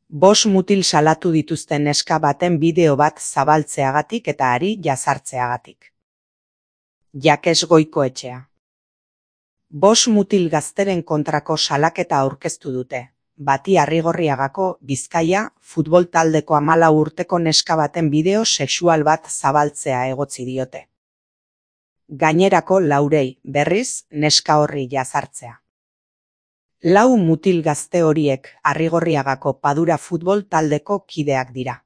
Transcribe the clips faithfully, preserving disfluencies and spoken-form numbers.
Bost mutil salatu dituzten neska baten bideo bat zabaltzeagatik eta hari jazartzeagatik. Jakes Goikoetxea. Bost mutil gazteren kontrako salaketa aurkeztu dute, bati Arrigorriagako Bizkaia futbol taldeko hamalau urteko neska baten bideo sexual bat zabaltzea egotzi diote. Gainerako laurei, berriz, neska horri jazartzea. Lau mutil gazte horiek Arrigorriagako Padura futbol taldeko kideak dira.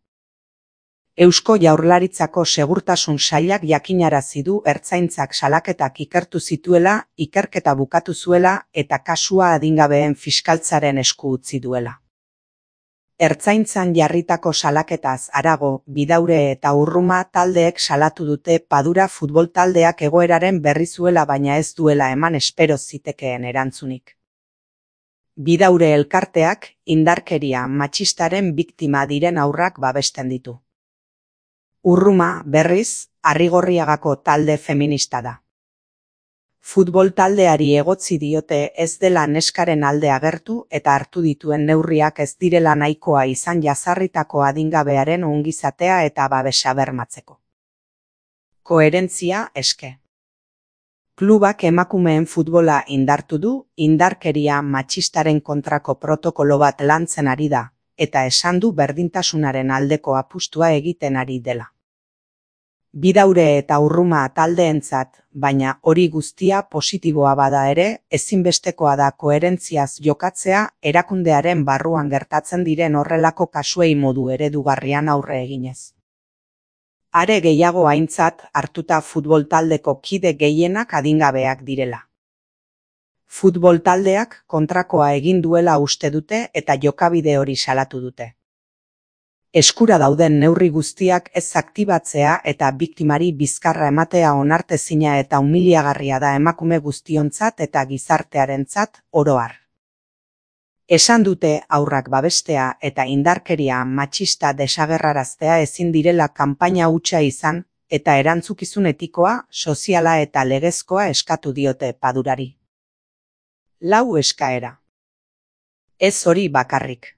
Eusko Jaurlaritzako Segurtasun Sailak jakinarazi du ertzaintzak salaketak ikertu zituela, ikerketa bukatu zuela eta kasua adingabeen fiskaltzaren esku utzi duela. Ertzaintzan jarritako salaketaz harago, Bidaure eta Urruma taldeek salatu dute Padura futbol taldeak egoeraren berri zuela baina ez duela eman espero zitekeen erantzunik. Bidaure elkarteak indarkeria matxistaren biktima diren haurrak babesten ditu. Urruma, berriz, Arrigorriagako talde feminista da. Futbol taldeari egotzi diote ez dela neskaren alde agertu eta hartu dituen neurriak ez direla nahikoa izan jazarritako adingabearen ongizatea eta babesa bermatzeko. Koherentzia eske. Klubak emakumeen futbola indartu du, indarkeria matxistaren kontrako protokolo bat lantzen ari da, eta esan du berdintasunaren aldeko apustua egiten ari dela. Bidaure eta Urruma taldeentzat, baina hori guztia positiboa bada ere, ezinbestekoa da koherentziaz jokatzea erakundearen barruan gertatzen diren horrelako kasuei modu eredugarrian aurre eginez. Are gehiago aintzat hartuta futbol taldeko kide gehienak adingabeak direla. Futbol taldeak kontrakoa egin duela uste dute eta jokabide hori salatu dute. Eskura dauden neurri guztiak ez aktibatzea eta biktimari bizkarra ematea onartezina eta umiliagarria da emakume guztiontzat eta gizartearentzat oro har. Esan dute haurrak babestea eta indarkeria matxista desagerraraztea ezin direla kanpaina hutsa izan eta erantzukizun etikoa, soziala eta legezkoa eskatu diote Padurari. Lau eskaera. Ez hori bakarrik.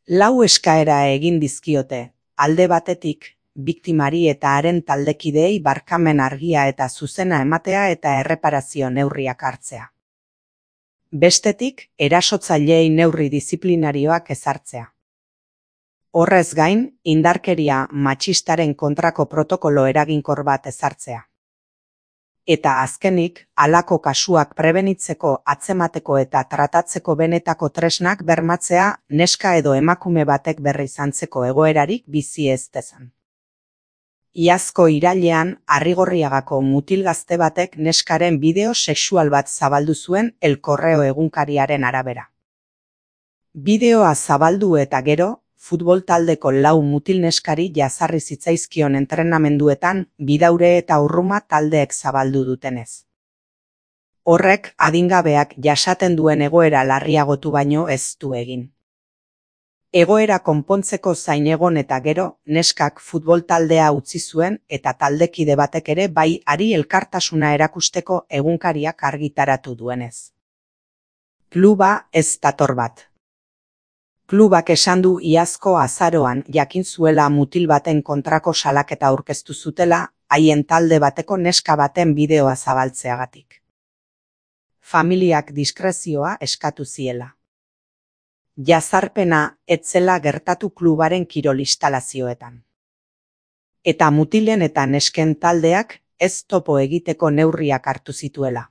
Lau eskaera egin dizkiote, alde batetik, biktimari eta haren taldekideei barkamen argia eta zuzena ematea eta erreparazio neurriak hartzea. Bestetik, erasotzaileei neurri diziplinarioak ezartzea. Horrez gain, indarkeria matxistaren kontrako protokolo eraginkor bat ezartzea. Eta azkenik, halako kasuak prebenitzeko, atzemateko eta tratatzeko benetako tresnak bermatzea neska edo emakume batek berri izantzeko egoerarik bizi ez dezan. Iazko irailean Arrigorriagako mutil gazte batek neskaren bideo sexual bat zabaldu zuen El Correo egunkariaren arabera. Bideoa zabaldu eta gero, futbol taldeko lau mutil neskari jazarri zitzaizkion entrenamenduetan Bidaure eta Urruma taldeek zabaldu dutenez. Horrek adingabeak jasaten duen egoera larriagotu baino ez du egin. Egoera konpontzeko zain egon eta gero, neskak futbol taldea utzi zuen eta taldekide batek ere bai hari elkartasuna erakusteko egunkariak argitaratu duenez. Kluba ez dator bat. Klubak esan du iazko azaroan jakin zuela mutil baten kontrako salaketa aurkeztu zutela, haien talde bateko neska baten bideoa zabaltzeagatik. Familiak diskrezioa eskatu ziela. Jazarpena etzela gertatu klubaren kirol instalazioetan. Eta mutilen eta nesken taldeak ez topo egiteko neurriak hartu zituela.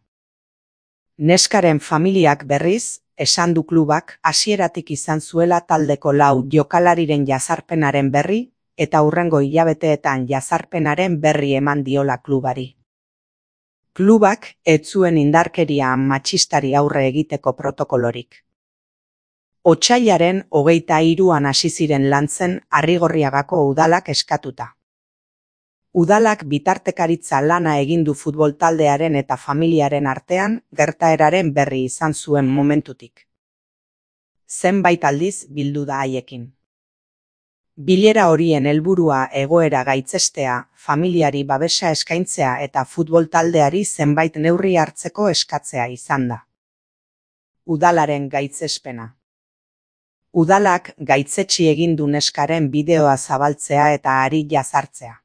Neskaren familiak berriz, esan du klubak hasieratik izan zuela taldeko lau jokalariren jazarpenaren berri eta hurrengo hilabeteetan jazarpenaren berri eman diola klubari. Klubak ez zuen indarkeria matxistari aurre egiteko protokolorik. Otsailaren hogeita hiruan hasi ziren lantzen Arrigorriagako udalak eskatuta. Udalak bitartekaritza lana egin du futbol taldearen eta familiaren artean gertaeraren berri izan zuen momentutik. Zenbait aldiz bildu da haiekin. Bilera horien helburua egoera gaitzestea, familiari babesa eskaintzea eta futbol taldeari zenbait neurri hartzeko eskatzea izan da. Udalaren gaitzespena. Udalak gaitzetsi egin du neskaren bideoa zabaltzea eta hari jazartzea.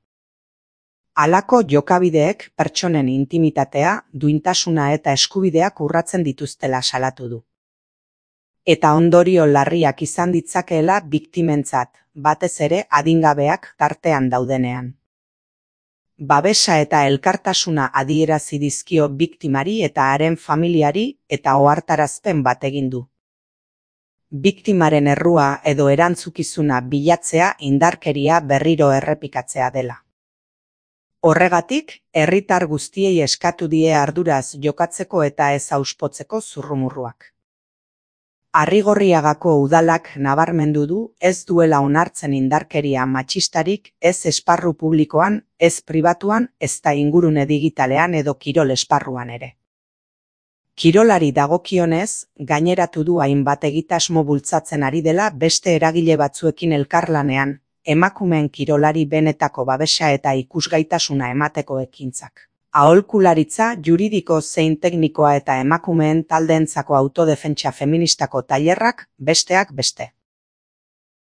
Halako jokabideek pertsonen intimitatea, duintasuna eta eskubideak urratzen dituztela salatu du. Eta ondorio larriak izan ditzakeela biktimentzat, batez ere adingabeak tartean daudenean. Babesa eta elkartasuna adierazi dizkio biktimari eta haren familiari eta ohartarazpen bat egin du. Biktimaren errua edo erantzukizuna bilatzea indarkeria berriro errepikatzea dela. Horregatik, herritar guztiei eskatu die arduraz jokatzeko eta ez auspotzeko zurrumurruak. Arrigorriagako udalak nabarmendu du ez duela onartzen indarkeria matxistarik ez esparru publikoan, ez pribatuan, ezta ingurune digitalean edo kirol esparruan ere. Kirolari dagokionez, gaineratu du hainbat egitasmo bultzatzen ari dela beste eragile batzuekin elkarlanean, emakumeen kirolari benetako babesa eta ikusgaitasuna emateko ekintzak. Aholkularitza juridiko zein teknikoa eta emakumeen taldeentzako autodefentsa feministako tailerrak, besteak beste.